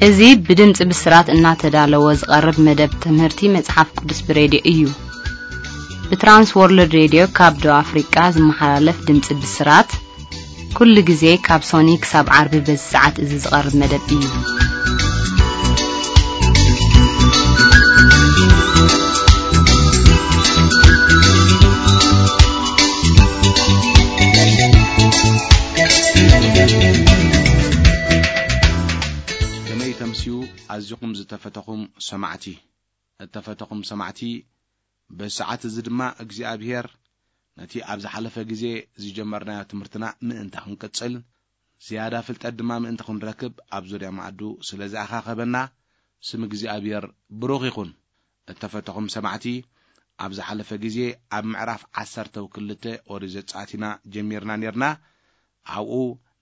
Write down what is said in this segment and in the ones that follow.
እዚ ብድምጺ ብስራት እናተዳለወ ዝቐርብ መደብ ትምህርቲ መጽሓፍ ቅዱስ ብሬድዮ እዩ። ብትራንስ ወርልድ ሬድዮ ካብ ደቡብ ኣፍሪቃ ዝመሓላለፍ ድምጺ ብስራት፣ ኩሉ ግዜ ካብ ሶኒ ክሳብ ዓርቢ በዚ ሰዓት እዚ ዝቐርብ መደብ እዩ። ከመይ ተምስዩ ኣዚኹም ዝተፈተኹም ሰማዕቲ። እተፈተኹም ሰማዕቲ፣ በዚ ሰዓት እዚ ድማ እግዚኣብሄር ነቲ ኣብ ዝሓለፈ ግዜ ዝጀመርናዮ ትምህርትና ምእንቲ ክንቅጽል፣ ዝያዳ ፍልጠት ድማ ምእንቲ ክንረክብ ኣብ ዙርያ መኣዱ ስለ ዝኣኻኸበና፣ ስም እግዚኣብሄር ብሩኽ ይኹን። እተፈተኹም ሰማዕቲ፣ ኣብ ዝሓለፈ ግዜ ኣብ ምዕራፍ ዓሰርተ ክልተ ኦሪት ዘጸኣት ኢና ጀሚርና ኔርና። ኣብኡ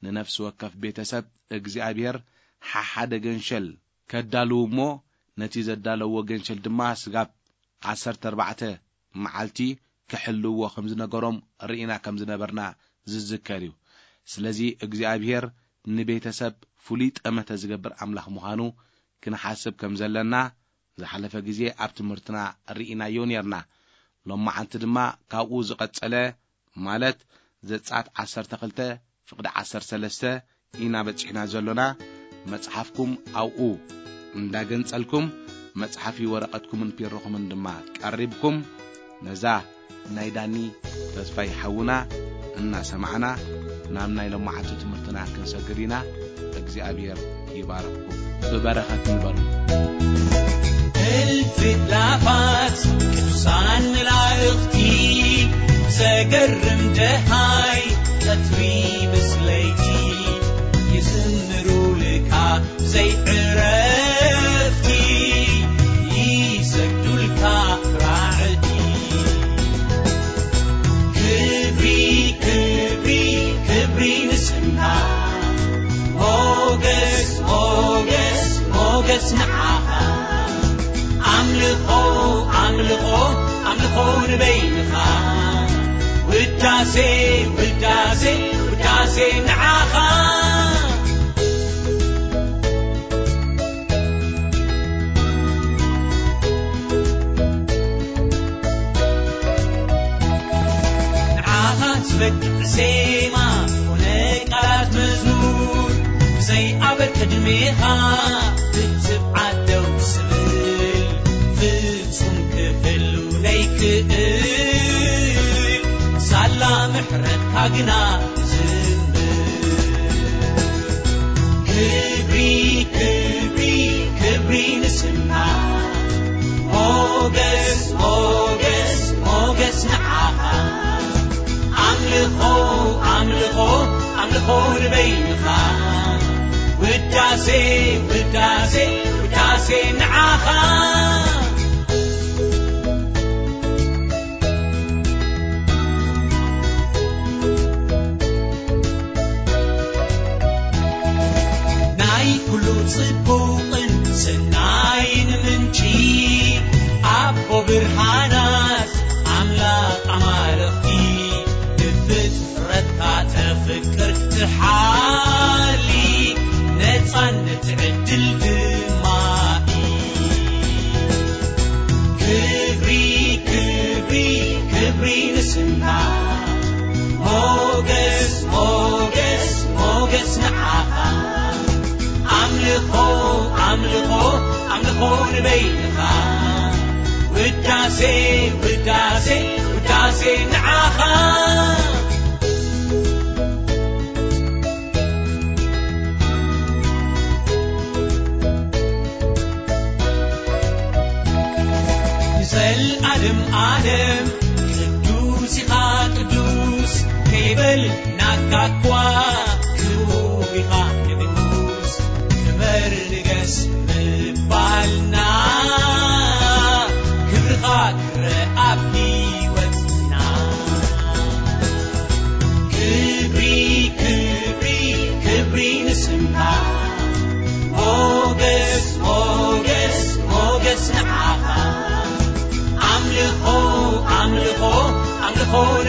ንነፍሲ ወከፍ ቤተሰብ እግዚኣብሄር ሓሓደ ገንሸል ከዳልዉ እሞ፣ ነቲ ዘዳለዎ ገንሸል ድማ ስጋብ ዓሰርተ ኣርባዕተ መዓልቲ ክሕልዎ ከም ዝነገሮም ርኢና ከም ዝነበርና ዝዝከር እዩ። ስለዚ እግዚኣብሄር ንቤተሰብ ፍሉይ ጠመተ ዝገብር ኣምላኽ ምዃኑ ክንሓስብ ከም ዘለና ዝሓለፈ ግዜ ኣብ ትምህርትና ርኢናዮ ኔርና። ሎማዓንቲ ድማ ካብኡ ዝቐጸለ፣ ማለት ዘጸኣት ዓሰርተ ክልተ ፍቕዲ ዓሰርተ ሰለስተ ኢና በጺሕና ዘሎና። መጽሓፍኩም ኣብኡ እንዳገንጸልኩም፣ መጽሓፊ ወረቐትኩምን ፒሮኹምን ድማ ቀሪብኩም፣ ነዛ ናይ ዳኒ ተስፋይ ሓውና እናሰማዕና፣ ናብ ናይ ሎማዓንቲ ትምህርትና ክንሰግር ኢና። እግዚኣብሔር ይባርኽኩም። ብበረኸት ንበሩ። እልፊ ኣእላፋት ቅዱሳን መላእኽቲ፣ ዘገርም ደሃይ ቀትሪ ምስ ለይቲ፣ ይዝምሩልካ ዘይዕረፍቲ፣ ይሰግዱልካ ራዕዲ። ክብሪ፣ ክብሪ፣ ክብሪ ንስምካ። ሞገስ፣ ሞገስ፣ ሞገስ ንዓኻ። ኣምልኾ፣ ኣምልኾ፣ ኣምልኾ ንበይንኻ። ውዳሴ፣ ውዳሴ፣ ውዳሴ ንዓኻ። ንዓኻ ዝበቅዕ ዜማ ኮነ ቃላት መዝሙር፣ ብዘይ ኣበል ቅድሜኻ ብትብዓት ደው ዝብል፣ ፍጹም ክህሉ ዘይክእል፣ ሳላ ምሕረትካ ግና ዝምር። ክብሪ፣ ክብሪ፣ ክብሪ ንስምካ። ሞገስ፣ ሞገስ፣ ሞገስ ንዓኻ። ኣምልኾ፣ ኣምልኾ፣ ኣምልኾ ንበይንኻ። ውዳሴ፣ ውዳሴ፣ ውዳሴ ንዓኻ። ናይ ኩሉ ጽቡቕን ሰናይን ምንጪ፣ ኣቦ ብርሃናት ኣምላኽ ኣማልኽቲ፣ ብፍጥረትካ ተፍቅር ትሓሊ፣ ነጻነት ዕድል ድማ እዩ። ክብሪ፣ ክብሪ፣ ክብሪ ንስምካ። ሞገስ፣ ሞገስ፣ ሞገስ ንዓኻ። ኣምልኾ፣ ኣምልኾ፣ ኣምልኾ ንበይንኻ። ውዳሴ፣ ውዳሴ፣ ውዳሴ ንዓኻ። ንዘልኣለም ኣለም ቅዱስ ኢኻ ቅዱስ፣ ከይበል ናካ እኳ ክቡር ኢኻ ንጉስ። ክበር ንገስ ምባልና፣ ክብርኻ ክረኣ ኣብ ህይወትና። ክብሪ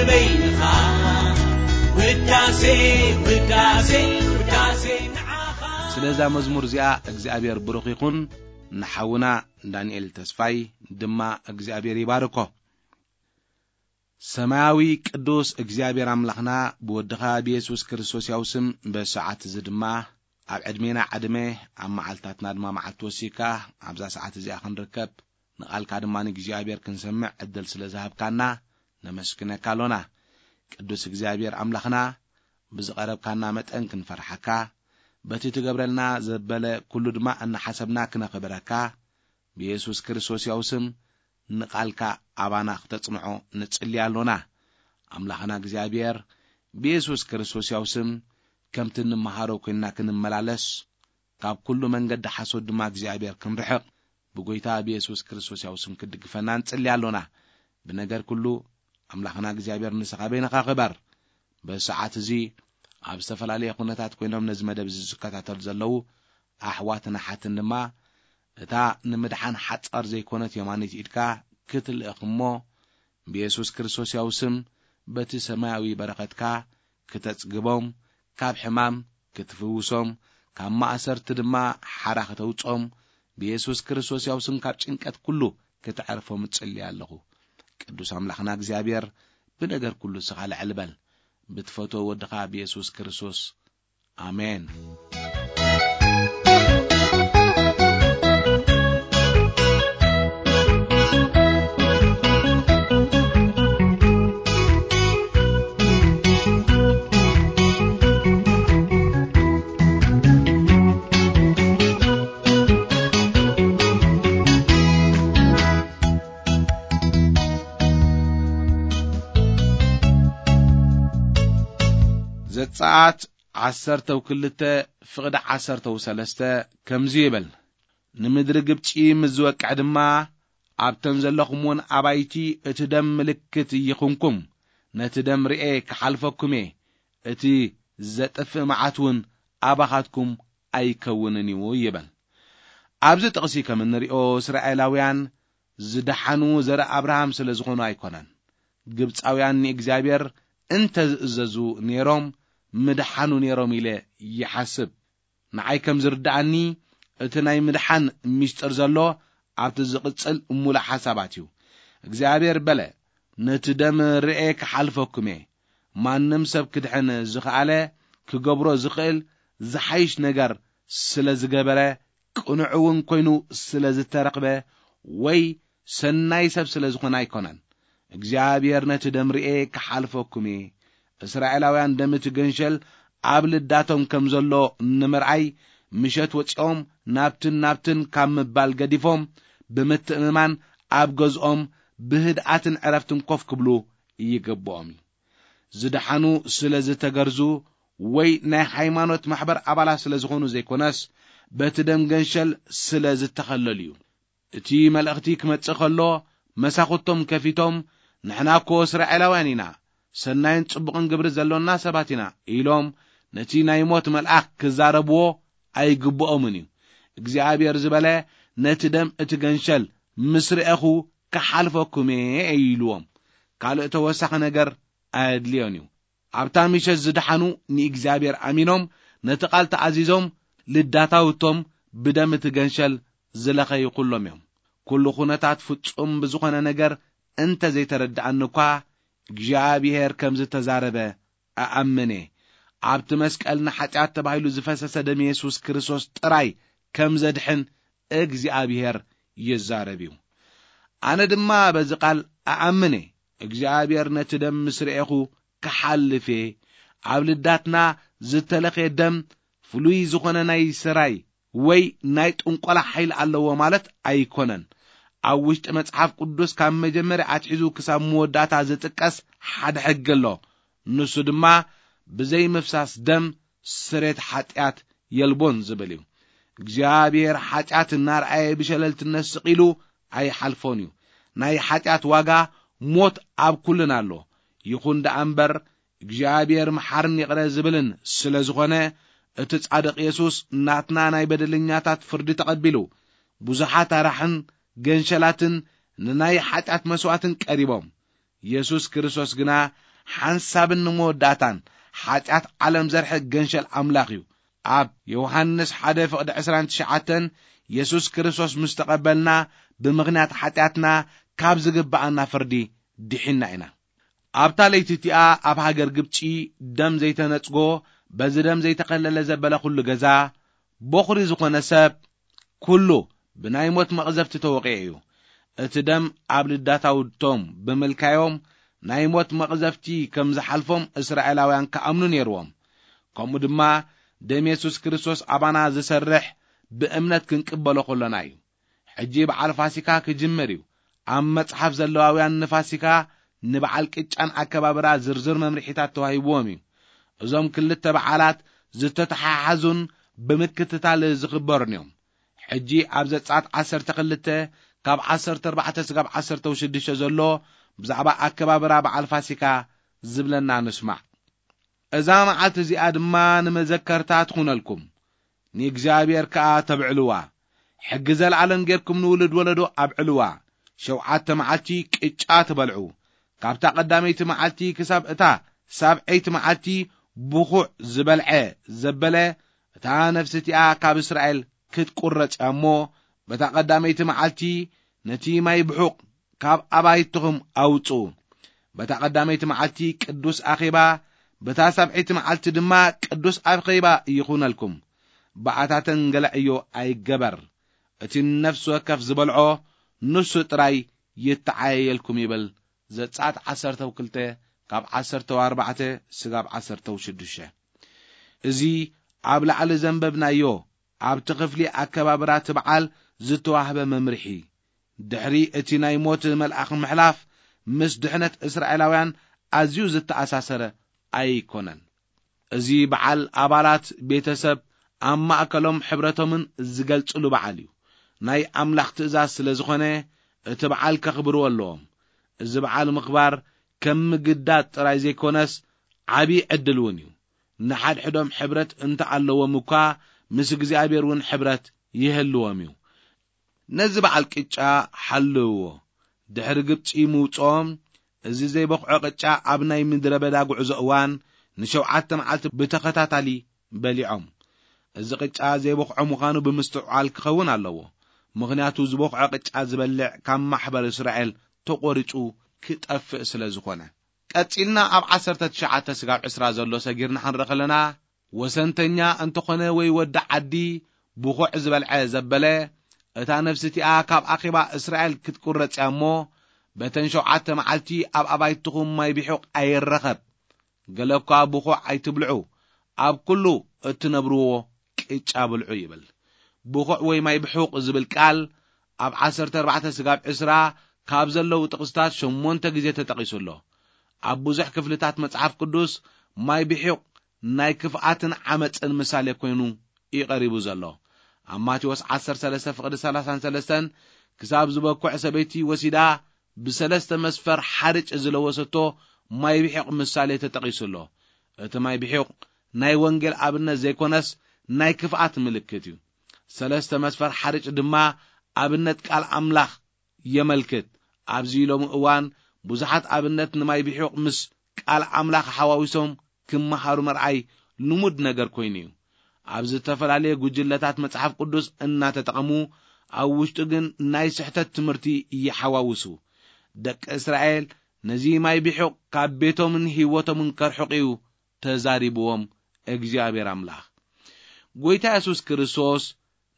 በይንኻ ውዳሴ፣ ውዳሴ፣ ውዳሴ ንዓኻ። ስለዛ መዝሙር እዚኣ እግዚኣብሔር ብሩኽ ይኹን። ንሓውና ዳንኤል ተስፋይ ድማ እግዚኣብሔር ይባርኮ። ሰማያዊ ቅዱስ እግዚኣብሔር ኣምላኽና፣ ብወድኻ ብየሱስ ክርስቶስ ያው ስም በሰዓት እዚ ድማ ኣብ ዕድሜና ዕድመ፣ ኣብ መዓልታትና ድማ መዓልቲ ወሲካ ኣብዛ ሰዓት እዚኣ ክንርከብ፣ ንቓልካ ድማ ንእግዚኣብሔር ክንሰምዕ ዕድል ስለ ዝሃብካና ነመስግነካ ኣሎና። ቅዱስ እግዚኣብሔር ኣምላኽና፣ ብዝቐረብካና መጠን ክንፈርሓካ፣ በቲ ትገብረልና ዘበለ ኩሉ ድማ እናሓሰብና ክነኽብረካ፣ ብየሱስ ክርስቶስ ያው ስም ንቓልካ ኣባና ክተጽንዖ ንጽሊ ኣሎና። ኣምላኽና እግዚኣብሔር፣ ብየሱስ ክርስቶስ ያው ስም ከምቲ እንመሃሮ ኮይንና ክንመላለስ፣ ካብ ኩሉ መንገዲ ሓሶት ድማ እግዚኣብሔር ክንርሕቕ፣ ብጎይታ ብየሱስ ክርስቶስ ያው ስም ክትድግፈና ንጽሊ ኣሎና። ብነገር ኩሉ ኣምላኽና እግዚኣብሔር ንስኻ በይንኻ ክበር። በዚ ሰዓት እዚ ኣብ ዝተፈላለየ ኩነታት ኮይኖም ነዚ መደብ እዚ ዝከታተሉ ዘለዉ ኣሕዋትን ኣሓትን ድማ፣ እታ ንምድሓን ሓጻር ዘይኮነት የማኒት ኢድካ ክትልእኽ እሞ፣ ብየሱስ ክርስቶስ ያው ስም በቲ ሰማያዊ በረኸትካ ክተጽግቦም፣ ካብ ሕማም ክትፍውሶም፣ ካብ ማእሰርቲ ድማ ሓራ ክተውጾም፣ ብየሱስ ክርስቶስ ያው ስም ካብ ጭንቀት ኩሉ ክተዕርፎም እጽሊ ኣለኹ። ቅዱስ ኣምላኽና እግዚኣብሔር፣ ብነገር ኩሉ ስኻ ልዕል በል። ብትፈትዎ ወድኻ ብየሱስ ክርስቶስ። ኣሜን። ዘጸኣት ዓሰርተው ክልተ ፍቕዲ ዓሰርተው ሰለስተ ከምዚ ይብል፣ ንምድሪ ግብጺ ምስ ዝወቅዕ ድማ ኣብተን ዘለኹምውን ኣባይቲ እቲ ደም ምልክት ይኹንኩም፣ ነቲ ደም ርኤ ክሓልፈኩም እየ፣ እቲ ዘጥፍእ መዓት እውን ኣባኻትኩም ኣይከውንን እዩ ይብል። ኣብዚ ጥቕሲ ከም እንሪኦ እስራኤላውያን ዝደሓኑ ዘርኢ ኣብርሃም ስለ ዝኾኑ ኣይኮነን። ግብጻውያን ንእግዚኣብሔር እንተ ዝእዘዙ ነይሮም ምድሓኑ ነይሮም ኢለ ይሓስብ። ንዓይ ከም ዝርድኣኒ እቲ ናይ ምድሓን ምስጢር ዘሎ ኣብቲ ዝቕጽል ሙሉእ ሓሳባት እዩ። እግዚኣብሔር በለ፣ ነቲ ደም ርኤ ክሓልፈኩም እየ። ማንም ሰብ ክድሕን ዝኸኣለ ክገብሮ ዝኽእል ዝሓይሽ ነገር ስለ ዝገበረ፣ ቅኑዕ እውን ኮይኑ ስለ ዝተረኽበ ወይ ሰናይ ሰብ ስለ ዝኾነ ኣይኮነን። እግዚኣብሔር ነቲ ደም ርኤ ክሓልፈኩም እየ። እስራኤላውያን ደም እቲ ገንሸል ኣብ ልዳቶም ከም ዘሎ ንምርኣይ ምሸት ወጺኦም ናብትን ናብትን ካብ ምባል ገዲፎም ብምትእምማን ኣብ ገዝኦም ብህድኣትን ዕረፍትን ኮፍ ክብሉ ይግብኦም እዩ። ዝደሓኑ ስለ ዝተገርዙ ወይ ናይ ሃይማኖት ማሕበር ኣባላት ስለ ዝኾኑ ዘይኮነስ፣ በቲ ደም ገንሸል ስለ ዝተኸለሉ እዩ። እቲ መልእኽቲ ክመጽእ ከሎ፣ መሳኹቶም ከፊቶም፣ "ንሕና እኮ እስራኤላውያን ኢና፣ ሰናይን ጽቡቕን ግብሪ ዘሎና ሰባት ኢና" ኢሎም ነቲ ናይ ሞት መልኣኽ ክዛረብዎ ኣይግብኦምን እዩ። እግዚኣብሔር ዝበለ፣ "ነቲ ደም እቲ ገንሸል ምስ ርኤኹ ክሓልፈኩም እየ" ኢልዎም። ካልእ ተወሳኺ ነገር ኣየድልዮን እዩ። ኣብታ ምሸት ዝደሓኑ ንእግዚኣብሔር ኣሚኖም ነቲ ቃል ተኣዚዞም ልዳታውቶም ብደም እቲ ገንሸል ዝለኸዩ ኩሎም እዮም። ኩሉ ኩነታት ፍጹም ብዝኾነ ነገር እንተ ዘይተረድኣኒ እኳ፣ እግዚኣብሔር ከም ዝተዛረበ እኣምን እየ። ኣብቲ መስቀል ንሓጢኣት ተባሂሉ ዝፈሰሰ ደም የሱስ ክርስቶስ ጥራይ ከም ዘድሕን እግዚኣብሔር ይዛረብ እዩ። ኣነ ድማ በዚ ቃል እኣምን እየ። እግዚኣብሔር ነቲ ደም ምስ ርኤኹ ክሓልፍ እየ። ኣብ ልዳትና ዝተለኽየ ደም ፍሉይ ዝኾነ ናይ ስራይ ወይ ናይ ጥንቆላ ሓይሊ ኣለዎ ማለት ኣይኮነን። ኣብ ውሽጢ መጽሓፍ ቅዱስ ካብ መጀመርያ ኣትሒዙ ክሳብ መወዳእታ ዝጥቀስ ሓደ ሕጊ ኣሎ። ንሱ ድማ ብዘይ ምፍሳስ ደም ስሬት ሓጢኣት የልቦን ዝብል እዩ። እግዚኣብሔር ሓጢኣት እናርኣየ ብሸለልትነት ስቕ ኢሉ ኣይሓልፎን እዩ። ናይ ሓጢኣት ዋጋ ሞት ኣብ ኩልና ኣሎ። ይኹን ደኣ እምበር እግዚኣብሔር መሓርን ይቕረ ዝብልን ስለ ዝኾነ፣ እቲ ጻድቕ የሱስ ናትና ናይ በደለኛታት ፍርዲ ተቐቢሉ፣ ብዙሓት ኣራሕን ገንሸላትን ንናይ ሓጢኣት መስዋእትን ቀሪቦም። የሱስ ክርስቶስ ግና ሓንሳብን ንመወዳእታን ሓጢኣት ዓለም ዘርሕቕ ገንሸል ኣምላኽ እዩ። ኣብ ዮሃንስ ሓደ ፍቕዲ ዕስራን ትሽዓተን፣ የሱስ ክርስቶስ ምስ ተቐበልና፣ ብምኽንያት ሓጢኣትና ካብ ዝግብኣና ፍርዲ ድሒንና ኢና። ኣብታ ለይቲ እቲኣ ኣብ ሃገር ግብጺ ደም ዘይተነጽጎ፣ በዚ ደም ዘይተኸለለ ዘበለ ኩሉ ገዛ፣ በኹሪ ዝኾነ ሰብ ኩሉ ብናይ ሞት መቕዘፍቲ ተወቒዑ እዩ። እቲ ደም ኣብ ልዳት ኣውድቶም ብምልካዮም ናይ ሞት መቕዘፍቲ ከም ዝሓልፎም እስራኤላውያን ክኣምኑ ነይርዎም። ከምኡ ድማ ደም የሱስ ክርስቶስ ኣባና ዝሰርሕ ብእምነት ክንቅበሎ ከሎና እዩ። ሕጂ በዓል ፋሲካ ክጅምር እዩ። ኣብ መጽሓፍ ዘለዋውያን ንፋሲካ ንበዓል ቅጫን ኣከባብራ ዝርዝር መምርሒታት ተዋሂብዎም እዩ። እዞም ክልተ በዓላት ዝተተሓሓዙን ብምክትታል ዝኽበሩን እዮም። ሕጂ ኣብ ዘጸኣት ዓሰርተ ክልተ ካብ ዓሰርተ ኣርባዕተ ስጋብ ዓሰርተ ሽዱሽተ ዘሎ ብዛዕባ ኣከባብራ በዓል ፋሲካ ዝብለና ንስማዕ። እዛ መዓልቲ እዚኣ ድማ ንመዘከርታ ትኹነልኩም፣ ንእግዚኣብሔር ከኣ ተብዕልዋ። ሕጊ ዘለዓለም ጌርኩም ንውሉድ ወለዶ ኣብዕልዋ። ሸውዓተ መዓልቲ ቅጫ ትበልዑ። ካብታ ቀዳመይቲ መዓልቲ ክሳብ እታ ሳብዐይቲ መዓልቲ ብኹዕ ዝበልዐ ዘበለ፣ እታ ነፍሲ እቲኣ ካብ እስራኤል ክትቁረጽ እያ እሞ፣ በታ ቀዳመይቲ መዓልቲ ነቲ ማይ ብሑቕ ካብ ኣባይትኹም ኣውጽኡ። በታ ቀዳመይቲ መዓልቲ ቅዱስ ኣኼባ፣ በታ ሳብዐይቲ መዓልቲ ድማ ቅዱስ ኣኼባ ይኹነልኩም። ብኣታተን ገለ ዕዮ ኣይገበር። እቲ ነፍሲ ወከፍ ዝበልዖ ንሱ ጥራይ ይተዓየየልኩም ይብል። ዘጸኣት ዓሰርተ ክልተ ካብ ዓሰርተ ኣርባዕተ ስጋብ ዓሰርተ ሽዱሽተ። እዚ ኣብ ላዕሊ ዘንበብናዮ ኣብቲ ክፍሊ ኣከባብራ እቲ በዓል ዝተዋህበ መምርሒ፣ ድሕሪ እቲ ናይ ሞት መልኣኽ ምሕላፍ ምስ ድሕነት እስራኤላውያን ኣዝዩ ዝተኣሳሰረ ኣይኮነን። እዚ በዓል ኣባላት ቤተሰብ ኣብ ማእከሎም ሕብረቶምን ዝገልጽሉ በዓል እዩ። ናይ ኣምላኽ ትእዛዝ ስለ ዝኾነ እቲ በዓል ከኽብርዎ ኣለዎም። እዚ በዓል ምኽባር ከም ምግዳድ ጥራይ ዘይኮነስ ዓቢ ዕድል እውን እዩ። ንሓድሕዶም ሕብረት እንተ ኣለዎም እኳ ምስ እግዚኣብሔር እውን ሕብረት ይህልዎም እዩ። ነዚ በዓል ቅጫ ሓልውዎ። ድሕሪ ግብጺ ምውጽኦም፣ እዚ ዘይበኽዖ ቅጫ ኣብ ናይ ምድረ በዳ ጉዕዞ እዋን ንሸውዓተ መዓልቲ ብተኸታታሊ በሊዖም። እዚ ቅጫ ዘይበኽዖ ምዃኑ ብምስትውዓል ክኸውን ኣለዎ። ምኽንያቱ ዝበኽዖ ቅጫ ዝበልዕ ካብ ማሕበር እስራኤል ተቖሪጹ ክጠፍእ ስለ ዝኾነ። ቀጺልና ኣብ ዓሰርተ ትሽዓተ ስጋብ ዕስራ ዘሎ ሰጊርና ክንርኢ ከለና፣ ወሰንተኛ እንተኾነ ወይ ወዲ ዓዲ ብኹዕ ዝበልዐ ዘበለ፣ እታ ነፍሲ እቲኣ ካብ ኣኼባ እስራኤል ክትቁረጽ እያ እሞ፣ በተን ሸውዓተ መዓልቲ ኣብ ኣባይትኹም ማይ ብሑቕ ኣይረኸብ። ገለ እኳ ብኹዕ ኣይትብልዑ፣ ኣብ ኩሉ እትነብርዎ ቅጫ ብልዑ ይብል። ብኹዕ ወይ ማይ ብሑቕ ዝብል ቃል ኣብ ዓሰርተ ኣርባዕተ ስጋብ ዕስራ ካብ ዘለዉ ጥቕስታት ሸሞንተ ግዜ ተጠቒሱ ኣሎ። ኣብ ብዙሕ ክፍልታት መጽሓፍ ቅዱስ ማይ ብሑቕ ናይ ክፍኣትን ዓመጽን ምሳሌ ኮይኑ እዩ ቀሪቡ ዘሎ። ኣብ ማቴዎስ ዓሰርተ ሰለስተ ፍቕዲ ሰላሳን ሰለስተን ክሳብ ዝበኩዕ ሰበይቲ ወሲዳ ብሰለስተ መስፈር ሓርጭ ዝለወሰቶ ማይ ብሒቕ ምሳሌ ተጠቒሱ ኣሎ። እቲ ማይ ብሒቕ ናይ ወንጌል ኣብነት ዘይኮነስ ናይ ክፍኣት ምልክት እዩ። ሰለስተ መስፈር ሓርጭ ድማ ኣብነት ቃል ኣምላኽ የመልክት። ኣብዚ ሎሚ እዋን ብዙሓት ኣብነት ንማይ ብሒቕ ምስ ቃል ኣምላኽ ሓዋዊሶም ክመሃሩ ምርኣይ ልሙድ ነገር ኮይኑ እዩ። ኣብ ዝተፈላለየ ጉጅለታት መጽሓፍ ቅዱስ እናተጠቐሙ፣ ኣብ ውሽጡ ግን ናይ ስሕተት ትምህርቲ ይሓዋውሱ። ደቂ እስራኤል ነዚ ማይ ብሑቕ ካብ ቤቶምን ህይወቶምን ከርሕቕ እዩ ተዛሪብዎም እግዚኣብሔር ኣምላኽ። ጐይታ የሱስ ክርስቶስ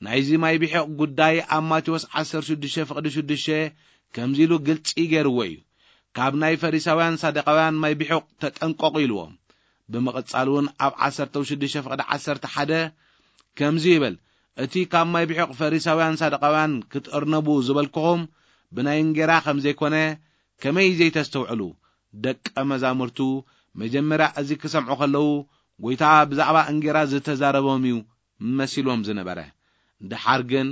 ናይዚ ማይ ብሑቕ ጉዳይ ኣብ ማቴዎስ ዓሰርተ ሽዱሽተ ፍቕዲ ሽዱሽተ ከምዚ ኢሉ ግልጺ ገይርዎ እዩ። ካብ ናይ ፈሪሳውያን ሳደቃውያን ማይ ብሑቕ ተጠንቀቑ ኢልዎም። ብምቕጻል እውን ኣብ ዓሰርተ ሽዱሽተ ፍቕዲ ዓሰርተ ሓደ ከምዚ ይብል፣ እቲ ካብ ማይ ብሑቕ ፈሪሳውያን ሳደቃውያን ክትእርነቡ ዝበልኩኹም ብናይ እንጌራ ከም ዘይኮነ ከመይ ዘይተስተውዕሉ? ደቀ መዛሙርቱ መጀመርያ እዚ ክሰምዑ ከለዉ፣ ጐይታ ብዛዕባ እንጌራ ዝተዛረቦም እዩ መሲልዎም ዝነበረ። ደሓር ግን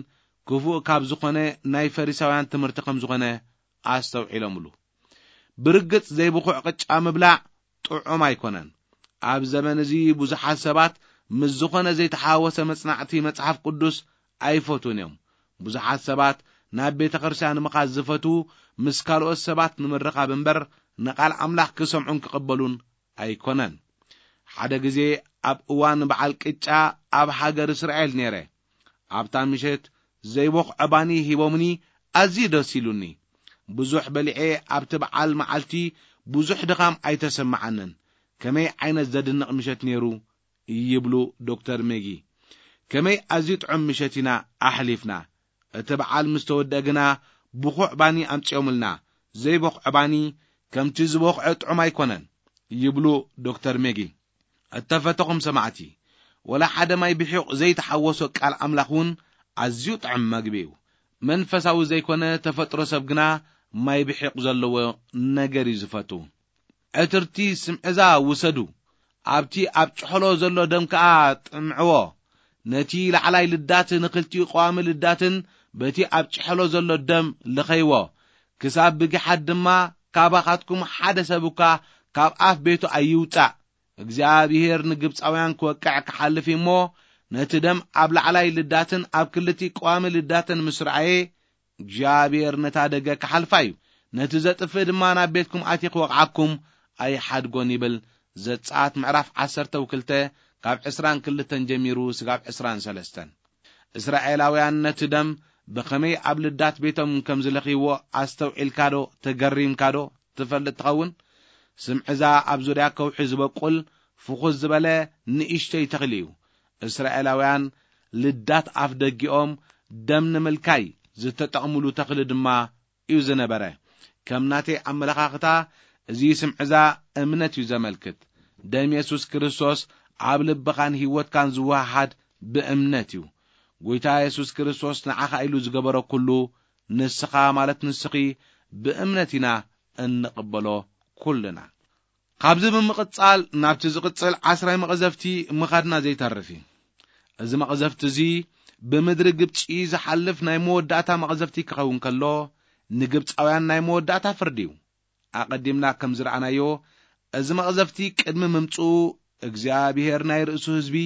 ክፉእ ካብ ዝኾነ ናይ ፈሪሳውያን ትምህርቲ ከም ዝኾነ ኣስተውዒሎምሉ። ብርግጽ ዘይብኹዕ ቅጫ ምብላዕ ጥዑም ኣይኮነን። ኣብ ዘመን እዚ ብዙሓት ሰባት ምስ ዝኾነ ዘይተሓወሰ መጽናዕቲ መጽሓፍ ቅዱስ ኣይፈትዉን እዮም። ብዙሓት ሰባት ናብ ቤተ ክርስቲያን ምኻድ ዝፈትዉ ምስ ካልኦት ሰባት ንምርኻብ እምበር ንቓል ኣምላኽ ክሰምዑን ክቕበሉን ኣይኮነን። ሓደ ግዜ ኣብ እዋን በዓል ቅጫ ኣብ ሃገር እስራኤል ነይረ። ኣብታ ምሸት ዘይቦኽዐ ባኒ ሂቦምኒ፣ ኣዝዩ ደስ ኢሉኒ። ብዙሕ በሊዐ፣ ኣብቲ በዓል መዓልቲ ብዙሕ ድኻም ኣይተሰምዓንን። ከመይ ዓይነት ዘድንቕ ምሸት ነይሩ፣ ይብሉ ዶክተር ሜጊ። ከመይ ኣዝዩ ጥዑም ምሸት ኢና ኣሕሊፍና። እቲ በዓል ምስ ተወድአ ግና ብኹዕ ባኒ ኣምጺኦምልና። ዘይቦኽዐ ባኒ ከምቲ ዝቦኽዐ ጥዑም ኣይኮነን፣ ይብሉ ዶክተር ሜጊ። እተፈተኹም ሰማዕቲ፣ ወላ ሓደ ማይ ብሒቕ ዘይተሓወሶ ቃል ኣምላኽ እውን ኣዝዩ ጥዑም መግቢ እዩ። መንፈሳዊ ዘይኮነ ተፈጥሮ ሰብ ግና ማይ ብሒቕ ዘለዎ ነገር እዩ ዝፈቱ። ዕትርቲ ስምዕዛ ውሰዱ፣ ኣብቲ ኣብ ጭሕሎ ዘሎ ደም ከኣ ጥምዕዎ። ነቲ ላዕላይ ልዳት ንኽልቲኡ ቀዋሚ ልዳትን በቲ ኣብ ጭሕሎ ዘሎ ደም ልኸይዎ፣ ክሳብ ብጊሓት ድማ ካባኻትኩም ሓደ ሰብ እኳ ካብ ኣፍ ቤቱ ኣይውጻእ። እግዚኣብሔር ንግብጻውያን ክወቅዕ ክሓልፍ እዩ እሞ፣ ነቲ ደም ኣብ ላዕላይ ልዳትን ኣብ ክልቲ ቀዋሚ ልዳትን ምስ ረኣየ፣ እግዚኣብሔር ነታ ደገ ክሓልፋ እዩ፣ ነቲ ዘጥፍእ ድማ ናብ ቤትኩም ኣትየ ክወቕዓኩም ኣይሓድጎን ይብል። ዘጸኣት ምዕራፍ ዓሰርተ ክልተ ካብ ዕስራን ክልተን ጀሚሩ ስጋብ ዕስራን ሰለስተን። እስራኤላውያን ነቲ ደም ብኸመይ ኣብ ልዳት ቤቶም ከም ዝለኽይዎ ኣስተውዒልካዶ? ተገሪምካዶ? ትፈልጥ ትኸውን? ስምዕዛ ኣብ ዙርያ ከውሒ ዝበቁል ፍኹስ ዝበለ ንእሽተይ ተኽሊ እዩ። እስራኤላውያን ልዳት ኣፍ ደጊኦም ደም ንምልካይ ዝተጠቕምሉ ተኽሊ ድማ እዩ ዝነበረ። ከም ናተይ ኣመለኻኽታ፣ እዚ ስምዕዛ እምነት እዩ ዘመልክት። ደም የሱስ ክርስቶስ ኣብ ልብኻን ህይወትካን ዝወሃሃድ ብእምነት እዩ። ጎይታ የሱስ ክርስቶስ ንዓኻ ኢሉ ዝገበሮ ኩሉ፣ ንስኻ ማለት ንስኺ ብእምነት ኢና እንቕበሎ ኩልና። ካብዚ ብምቕጻል ናብቲ ዝቕጽል ዓስራይ መቕዘፍቲ ምኻድና ዘይተርፍ እዩ። እዚ መቕዘፍቲ እዚ ብምድሪ ግብጺ ዝሓልፍ ናይ መወዳእታ መቕዘፍቲ ክኸውን ከሎ፣ ንግብጻውያን ናይ መወዳእታ ፍርዲ እዩ። ኣቐዲምና ከም ዝረኣናዮ፣ እዚ መቕዘፍቲ ቅድሚ ምምጽኡ እግዚኣብሔር ናይ ርእሱ ህዝቢ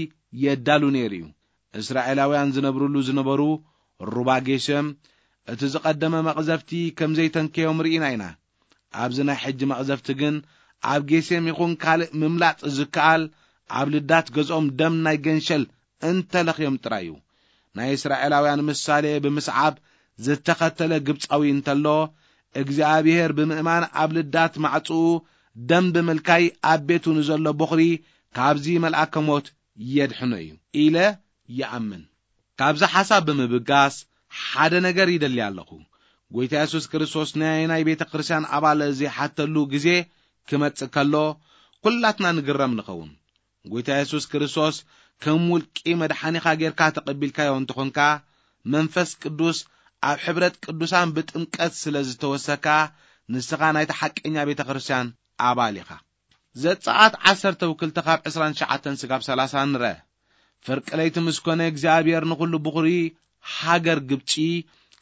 የዳሉ ነይሩ እዩ። እስራኤላውያን ዝነብርሉ ዝነበሩ ሩባ ጌሸም፣ እቲ ዝቐደመ መቕዘፍቲ ከም ዘይተንከዮም ርኢና ኢና። ኣብዚ ናይ ሕጂ መቕዘፍቲ ግን፣ ኣብ ጌሴም ይኹን ካልእ ምምላጥ ዝከኣል፣ ኣብ ልዳት ገዝኦም ደም ናይ ገንሸል እንተለኽዮም ጥራይ እዩ። ናይ እስራኤላውያን ምሳሌ ብምስዓብ ዝተኸተለ ግብጻዊ እንተሎ፣ እግዚኣብሔር ብምእማን ኣብ ልዳት ማዕጽኡ ደም ብምልካይ ኣብ ቤቱ ንዘሎ ቦኽሪ ካብዚ መልኣከ ሞት የድሕኖ እዩ ኢለ ይኣምን። ካብዚ ሓሳብ ብምብጋስ ሓደ ነገር ይደሊ ኣለኹ። ጎይታ የሱስ ክርስቶስ ናይ ናይ ቤተ ክርስቲያን ኣባል ዘይሓተሉ ግዜ ክመጽእ ከሎ፣ ኩላትና ንግረም ንኸውን። ጎይታ የሱስ ክርስቶስ ከም ውልቂ መድሓኒኻ ጌርካ ተቐቢልካዮ እንተኾንካ፣ መንፈስ ቅዱስ ኣብ ሕብረት ቅዱሳን ብጥምቀት ስለ ዝተወሰካ፣ ንስኻ ናይታ ሓቀኛ ቤተ ክርስቲያን ኣባል ኢኻ። ዘጸኣት ዓሰርተ ክልተ ካብ ዕስራን ትሽዓተን ስጋብ ሰላሳ ንረ። ፍርቂ ለይቲ ምስ ኮነ እግዚኣብሔር ንኹሉ ብኹሪ ሃገር ግብጺ፣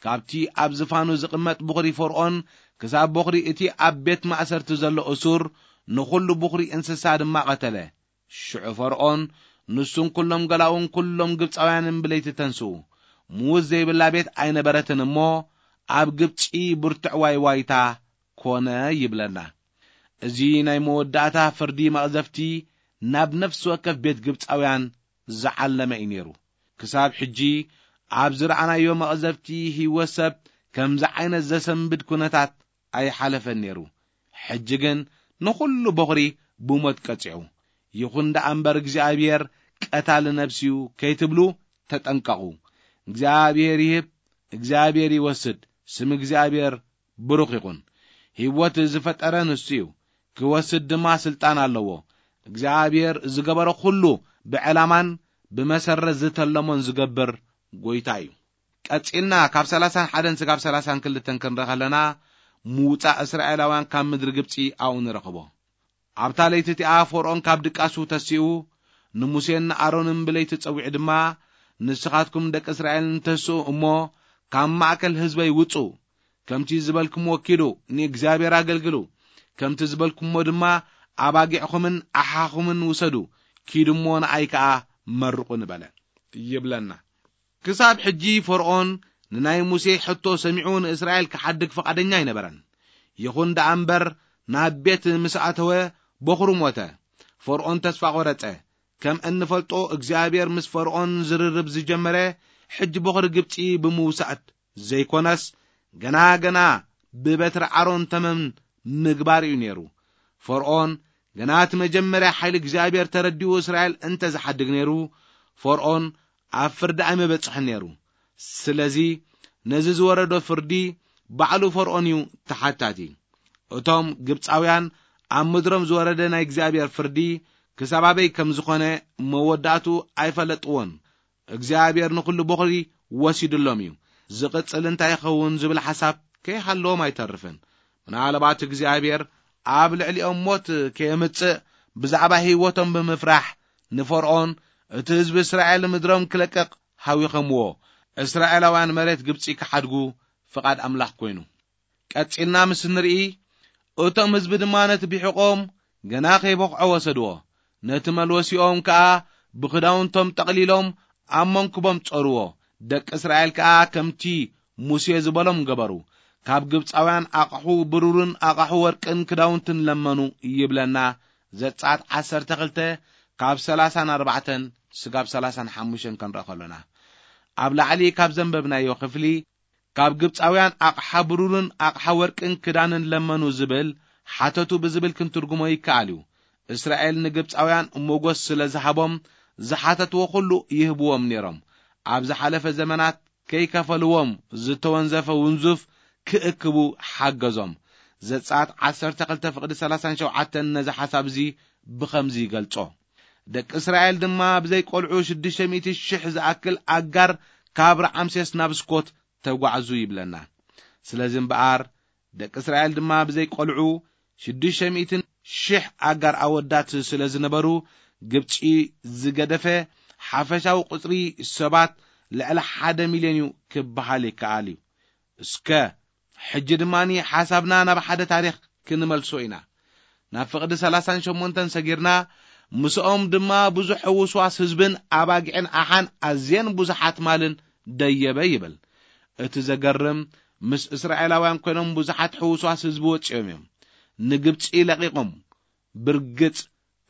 ካብቲ ኣብ ዝፋኑ ዝቕመጥ ብኹሪ ፈርኦን ክሳብ በኹሪ እቲ ኣብ ቤት ማእሰርቲ ዘሎ እሱር፣ ንኹሉ ብኹሪ እንስሳ ድማ ቀተለ። ሽዑ ፈርኦን ንሱን ኩሎም ገላኡን ኩሎም ግብጻውያንን ብለይቲ ተንስኡ። ምዉት ዘይብላ ቤት ኣይነበረትን እሞ፣ ኣብ ግብጺ ብርቱዕ ዋይ ዋይታ ኮነ ይብለና። እዚ ናይ መወዳእታ ፍርዲ መቕዘፍቲ ናብ ነፍሲ ወከፍ ቤት ግብጻውያን ዝዓለመ እዩ ነይሩ። ክሳብ ሕጂ ኣብ ዝረኣናዮ መቕዘፍቲ ህይወት ሰብ ከምዚ ዓይነት ዘሰንብድ ኩነታት ኣይሓለፈን ነይሩ። ሕጂ ግን ንኹሉ በኹሪ ብሞት ቀጺዑ። ይኹን ደኣ እምበር እግዚኣብሔር ቀታሊ ነፍሲ እዩ ከይትብሉ ተጠንቀቑ። እግዚኣብሔር ይህብ፣ እግዚኣብሔር ይወስድ። ስም እግዚኣብሔር ብሩኽ ይኹን። ህይወት ዝፈጠረ ንሱ እዩ፣ ክወስድ ድማ ስልጣን ኣለዎ። እግዚኣብሔር ዝገበሮ ኩሉ ብዕላማን ብመሰረት ዝተለሞን ዝገብር ጎይታ እዩ። ቀጺልና ካብ ሰላሳን ሓደን ስጋብ ሰላሳን ክልተን ክንርኢ ከለና፣ ምውጻእ እስራኤላውያን ካብ ምድሪ ግብጺ ኣብኡ ንረኽቦ። ኣብታ ለይቲ እቲኣ ፈርኦን ካብ ድቃሱ ተሲኡ፣ ንሙሴን ንኣሮንን ብለይቲ ጸዊዑ ድማ፣ ንስኻትኩም ደቂ እስራኤል ንተስኡ እሞ፣ ካብ ማእከል ህዝበይ ውጹ፣ ከምቲ ዝበልኩምዎ ኪዱ፣ ንእግዚኣብሔር ኣገልግሉ፣ ከምቲ ዝበልኩምዎ ድማ ኣባጊዕኹምን ኣሓኹምን ውሰዱ፣ ኪዱ እሞ ንኣይ ከኣ መርቑኒ በለ ይብለና። ክሳብ ሕጂ ፈርኦን ንናይ ሙሴ ሕቶ ሰሚዑ ንእስራኤል ክሓድግ ፍቓደኛ ኣይነበረን። ይኹን ደኣ እምበር፣ ናብ ቤት ምስ ኣተወ፣ በኹሩ ሞተ። ፈርዖን ተስፋ ቖረጸ። ከም እንፈልጦ፣ እግዚኣብሔር ምስ ፈርዖን ዝርርብ ዝጀመረ፣ ሕጂ በኹሪ ግብጺ ብምውሳእ ዘይኮነስ፣ ገና ገና ብበትሪ ኣሮን ተመን ምግባር እዩ ነይሩ። ፈርዖን ገና እቲ መጀመርያ ሓይሊ እግዚኣብሔር ተረዲኡ እስራኤል እንተ ዝሓድግ ነይሩ፣ ፈርዖን ኣብ ፍርዲ ኣይመበጽሕን ነይሩ። ስለዚ ነዚ ዝወረዶ ፍርዲ ባዕሉ ፈርዖን እዩ ተሓታቲ። እቶም ግብጻውያን ኣብ ምድሮም ዝወረደ ናይ እግዚኣብሔር ፍርዲ ክሳብ ኣበይ ከም ዝኾነ መወዳእቱ ኣይፈለጥዎን። እግዚኣብሔር ንኹሉ በኹሪ ወሲድሎም እዩ። ዝቕጽል እንታይ ይኸውን ዝብል ሓሳብ ከይሃለዎም ኣይተርፍን። ምናልባት እግዚኣብሔር ኣብ ልዕሊኦም ሞት ከየምጽእ ብዛዕባ ህይወቶም ብምፍራሕ ንፈርዖን እቲ ህዝቢ እስራኤል ምድሮም ክለቅቕ ሃዊኸምዎ። እስራኤላውያን መሬት ግብጺ ክሓድጉ ፍቓድ ኣምላኽ ኮይኑ። ቀጺልና ምስ ንርኢ፣ እቶም ህዝቢ ድማ ነቲ ቢሕቖም ገና ከይበኽዖ ወሰድዎ። ነቲ መልወሲኦም ከኣ ብኽዳውንቶም ጠቕሊሎም ኣብ መንኩቦም ጾርዎ። ደቂ እስራኤል ከኣ ከምቲ ሙሴ ዝበሎም ገበሩ። ካብ ግብጻውያን ኣቕሑ ብሩርን ኣቕሑ ወርቅን ክዳውንትን ለመኑ ይብለና። ዘጸኣት ዓሰርተ ክልተ ካብ ሰላሳን ኣርባዕተን ስጋብ ሰላሳን ሓሙሽተን ክንርኢ ከሎና። ኣብ ላዕሊ ካብ ዘንበብናዮ ክፍሊ ካብ ግብጻውያን ኣቕሓ ብሩርን ኣቕሓ ወርቅን ክዳንን ለመኑ ዝብል ሓተቱ ብዝብል ክንትርጉሞ ይከኣል እዩ። እስራኤል ንግብጻውያን ሞጎስ ስለ ዝሃቦም ዝሓተትዎ ኩሉ ይህብዎም ነይሮም። ኣብ ዝሓለፈ ዘመናት ከይከፈልዎም ዝተወንዘፈ ውንዙፍ ክእክቡ ሓገዞም። ዘጸኣት ዓሰርተ ክልተ ፍቕዲ ሰላሳን ሸውዓተን ነዚ ሓሳብ እዚ ብኸምዚ ይገልጾ። ደቂ እስራኤል ድማ ብዘይ ቆልዑ ሽዱሽተ ሚእቲ ሽሕ ዝኣክል ኣጋር ካብ ረዓምሴስ ናብ ስኮት ተጓዕዙ ይብለና። ስለዚ እምበኣር ደቂ እስራኤል ድማ ብዘይ ቆልዑ ሽዱሽተ ሚእትን ሽሕ ኣጋር ኣወዳት ስለ ዝነበሩ፣ ግብጺ ዝገደፈ ሓፈሻዊ ቁጽሪ ሰባት ልዕሊ ሓደ ሚልዮን እዩ ክበሃል ይከኣል እዩ። እስከ ሕጂ ድማ ሓሳብና ናብ ሓደ ታሪኽ ክንመልሶ ኢና። ናብ ፍቕዲ ሰላሳን ሸሞንተን ሰጊርና፣ ምስኦም ድማ ብዙሕ ሕውስዋስ ህዝብን ኣባጊዕን ኣሓን ኣዝየን ብዙሓት ማልን ደየበ ይብል። እቲ ዘገርም፣ ምስ እስራኤላውያን ኮይኖም ብዙሓት ሕውስዋስ ህዝቢ ወጺኦም እዮም። ንግብጺ ለቒቖም። ብርግጽ፣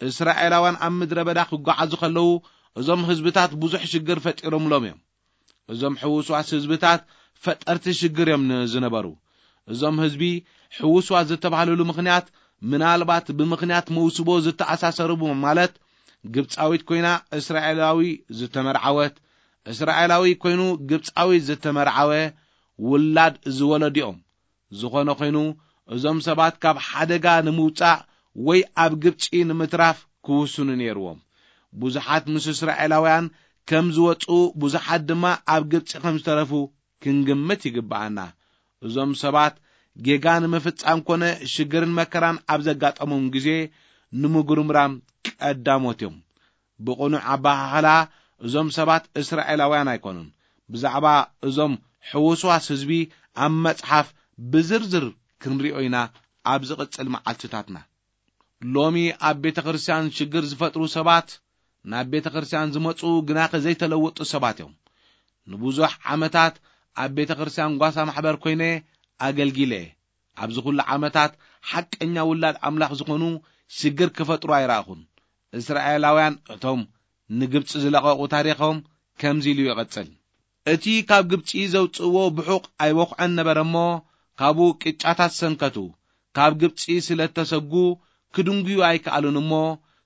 እስራኤላውያን ኣብ ምድረ በዳ ክጓዓዙ ከለዉ፣ እዞም ህዝብታት ብዙሕ ሽግር ፈጢሮምሎም እዮም። እዞም ሕውስዋስ ህዝብታት ፈጠርቲ ሽግር እዮም ን-፣ ዝነበሩ። እዞም ህዝቢ ሕውስዋስ ዝተባህልሉ ምኽንያት፣ ምናልባት ብምኽንያት መውስቦ ዝተኣሳሰሩ ማለት፣ ግብጻዊት ኮይና እስራኤላዊ ዝተመርዓወት፣ እስራኤላዊ ኮይኑ ግብጻዊ ዝተመርዓወ ውላድ ዝወለዱ እዮም። ዝኾነ ኮይኑ፣ እዞም ሰባት ካብ ሓደጋ ንምውጻእ ወይ ኣብ ግብጺ ንምትራፍ ክውስኑ ነይርዎም። ብዙሓት ምስ እስራኤላውያን ከም ዝወጹ፣ ብዙሓት ድማ ኣብ ግብጺ ከም ዝተረፉ ክንግምት ይግብኣና። እዞም ሰባት ጌጋ ንምፍጻም ኮነ ሽግርን መከራን ኣብ ዘጋጠሞም ግዜ ንምጉርምራም ቀዳሞት እዮም። ብቕኑዕ ኣበሃህላ፣ እዞም ሰባት እስራኤላውያን ኣይኮኑን። ብዛዕባ እዞም ሕውስዋስ ህዝቢ ኣብ መጽሓፍ ብዝርዝር ክንሪኦ ኢና ኣብ ዝቕጽል መዓልትታትና። ሎሚ ኣብ ቤተ ክርስቲያን ሽግር ዝፈጥሩ ሰባት ናብ ቤተ ክርስቲያን ዝመጹ ግናኸ ዘይተለወጡ ሰባት እዮም። ንብዙሕ ዓመታት ኣብ ቤተ ክርስቲያን ጓሳ ማሕበር ኮይነ ኣገልጊለ። ኣብዚ ኩሉ ዓመታት ሓቀኛ ውላድ ኣምላኽ ዝኾኑ ሽግር ክፈጥሩ ኣይረኣኹን። እስራኤላውያን እቶም ንግብጺ ዝለቐቑ ታሪኾም ከምዚ ኢሉ ይቕጽል። እቲ ካብ ግብጺ ዘውጽእዎ ብሑቕ ኣይበኹዐን ነበረ እሞ፣ ካብኡ ቅጫታት ሰንከቱ። ካብ ግብጺ ስለ እተሰጉ ክድንጉዩ ኣይከኣሉን እሞ፣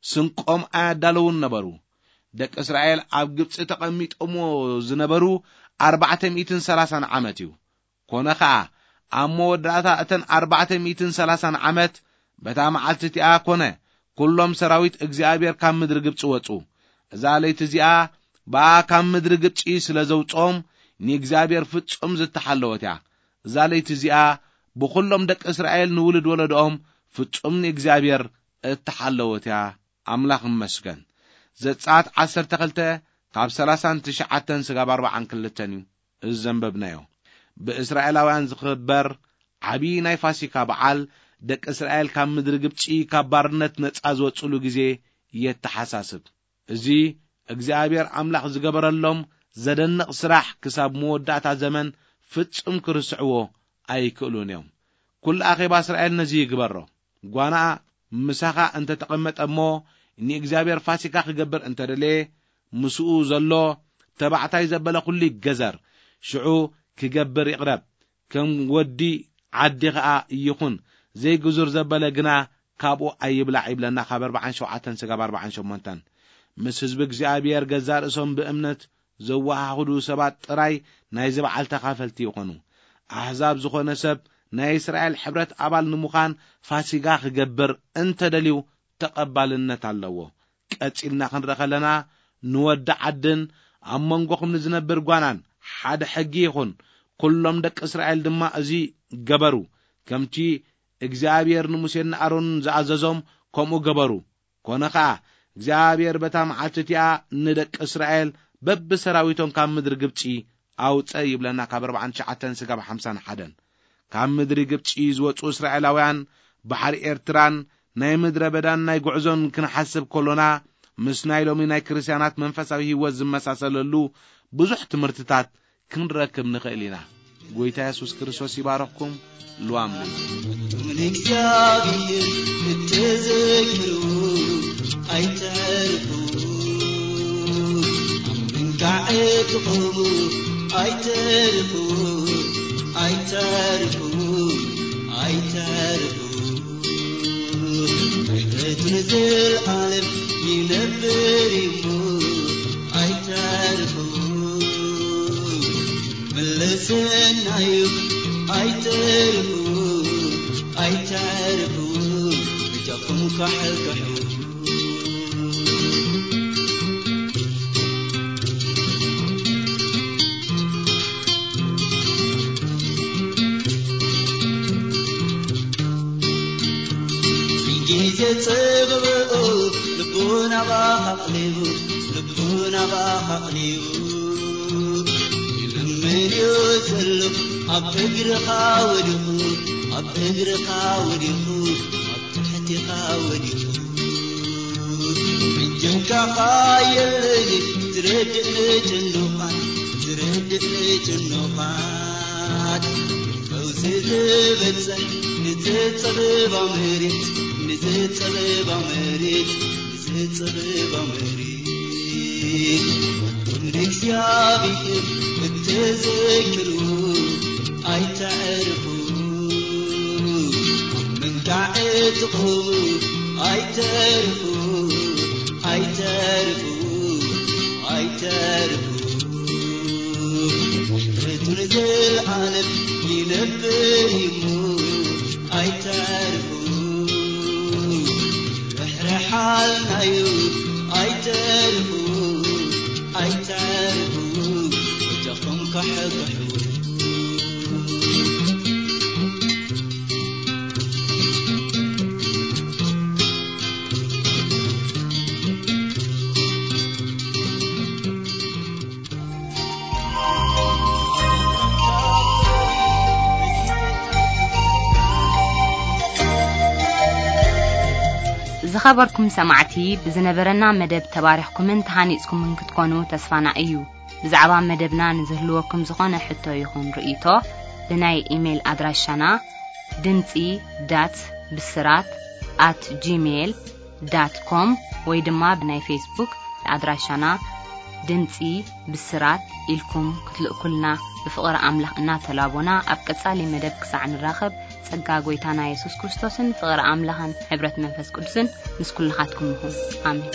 ስንቆም ኣያዳለዉን ነበሩ። ደቂ እስራኤል ኣብ ግብጺ ተቐሚጦምዎ ዝነበሩ ኣርባዕተ ሚእትን ሰላሳን ዓመት እዩ። ኮነ ኸኣ፣ ኣብ መወዳእታ እተን ኣርባዕተ ሚእትን ሰላሳን ዓመት፣ በታ መዓልቲ እቲኣ ኮነ፣ ኩሎም ሰራዊት እግዚኣብሔር ካብ ምድሪ ግብጺ ወጹ። እዛ ለይቲ እዚኣ፣ ብኣ ካብ ምድሪ ግብጺ ስለ ዘውጽኦም፣ ንእግዚኣብሔር ፍጹም ዝተሓለወት እያ። እዛ ለይቲ እዚኣ፣ ብኹሎም ደቂ እስራኤል ንውሉድ ወለዶኦም ፍጹም ንእግዚኣብሔር እተሓለወት እያ። ኣምላኽ ይመስገን። ዘጸኣት ዓሰርተ ክልተ ካብ ሰላሳን ትሽዓተን ስጋብ ኣርባዓን ክልተን እዩ እዚ ዘንበብናዮ። ብእስራኤላውያን ዝኽበር ዓቢ ናይ ፋሲካ በዓል፣ ደቂ እስራኤል ካብ ምድሪ ግብጺ ካብ ባርነት ነጻ ዝወጽሉ ግዜ የተሓሳስብ። እዚ እግዚኣብሔር ኣምላኽ ዝገበረሎም ዘደንቕ ስራሕ ክሳብ መወዳእታ ዘመን ፍጹም ክርስዕዎ ኣይክእሉን እዮም። ኩሉ ኣኼባ እስራኤል ነዚ ይግበሮ። ጓናኣ ምሳኻ እንተ ተቐመጠ እሞ፣ ንእግዚኣብሔር ፋሲካ ክገብር እንተ ደለየ፣ ምስኡ ዘሎ ተባዕታይ ዘበለ ኩሉ ይገዘር፣ ሽዑ ክገብር ይቕረብ፣ ከም ወዲ ዓዲ ኸኣ ይኹን፣ ዘይግዙር ዘበለ ግና ካብኡ ኣይብላዕ ይብለና፣ ካብ ኣርብዓን ሸውዓተን ስጋብ ኣርብዓን ሸሞንተን። ምስ ህዝቢ እግዚኣብሔር ገዛእ ርእሶም ብእምነት ዘወሃህዱ ሰባት ጥራይ ናይዚ በዓል ተኻፈልቲ ይኾኑ። ኣሕዛብ ዝኾነ ሰብ ናይ እስራኤል ሕብረት ኣባል ንምዃን ፋሲጋ ክገብር እንተደልዩ ተቐባልነት ኣለዎ። ቀጺልና ክንርኢ ከለና፣ ንወዲ ዓድን ኣብ መንጎኹም ንዝነብር ጓናን ሓደ ሕጊ ይኹን። ኩሎም ደቂ እስራኤል ድማ እዚ ገበሩ። ከምቲ እግዚኣብሔር ንሙሴን ንኣሮንን ዝኣዘዞም ከምኡ ገበሩ። ኮነ ኸኣ፣ እግዚኣብሔር በታ መዓልቲ እቲኣ ንደቂ እስራኤል በብሰራዊቶም ካብ ምድሪ ግብጺ ኣውጸ ይብለና፣ ካብ ኣርብዓን ትሽዓተን ስጋብ ሓምሳን ሓደን። ካብ ምድሪ ግብጺ ዝወጹ እስራኤላውያን ባሕሪ ኤርትራን ናይ ምድረ በዳን ናይ ጉዕዞን ክንሓስብ ከሎና፣ ምስ ናይ ሎሚ ናይ ክርስትያናት መንፈሳዊ ህይወት ዝመሳሰለሉ ብዙሕ ትምህርትታት ክንረክብ ንኽእል ኢና። ጎይታ የሱስ ክርስቶስ ይባረኽኩም። ሉዋም ንእግዚኣብሔር እትዘክሩ ኣይተርፉ፣ ኣብ ምንጋዕ ትቆሙ ኣይተርፉ፣ ኣይተርፉ፣ ኣይተርፉ። ምሕረቱ ንዘለዓለም ይነብር እዩ፣ ኣይተርፉ። መለሰናዩ ኣይተርፉ፣ ኣይተርፉ፣ እጃኹም ካሕካሑ። ግዜ ጽብብኡ ልቡ ናባኻ ኣቕሊቡ፣ ልቡ ናባኻ ኣቕሊቡ። ይልምንዮ ዘሎ ኣብ እግርኻ ወዲቑ፣ ኣብ እግርኻ ወዲቑ፣ ኣብ ትሕቲኻ ወዲቑ። እጅንካ የለኒ ዝረድእ ንጭኑቓት፣ ዝረድእ ንጭኑቓት። ፈውሲ ዝበጽሕ ንዝጸበባ መሬት፣ ንዝጸበባ መሬት፣ ንዝጸበባ መሬት። ንእግዚኣብሔር እትዘክሩ ኣይተዕርፉ፣ ምንጋዕ ትቑሙ ኣይተርፉ፣ ኣይተርፉ፣ ኣይተርፉ። ምሕረቱ ንዘለዓለም ይነብር እዩ፣ ኣይተርፉ። ርሕርሓልና እዩ፣ ኣይተርፉ፣ ኣይተርፉ፣ እጃኹም ካሕክሑ። ዝኸበርኩም ሰማዕቲ፣ ብዝነበረና መደብ ተባሪኽኩምን ተሃኒጽኩምን ክትኮኑ ተስፋና እዩ። ብዛዕባ መደብና ንዝህልወኩም ዝኾነ ሕቶ ይኹን ርእይቶ፣ ብናይ ኢሜይል ኣድራሻና ድምጺ ዳት ብስራት ኣት ጂሜይል ዳት ኮም ወይ ድማ ብናይ ፌስቡክ ኣድራሻና ድምጺ ብስራት ኢልኩም ክትልእኩልና ብፍቕሪ ኣምላኽ እናተላቦና፣ ኣብ ቀጻሊ መደብ ክሳዕ ንራኸብ፣ ጸጋ ጐይታና የሱስ ክርስቶስን ፍቕሪ ኣምላኽን ሕብረት መንፈስ ቅዱስን ምስ ኩልኻትኩም ይኹን። ኣሜን።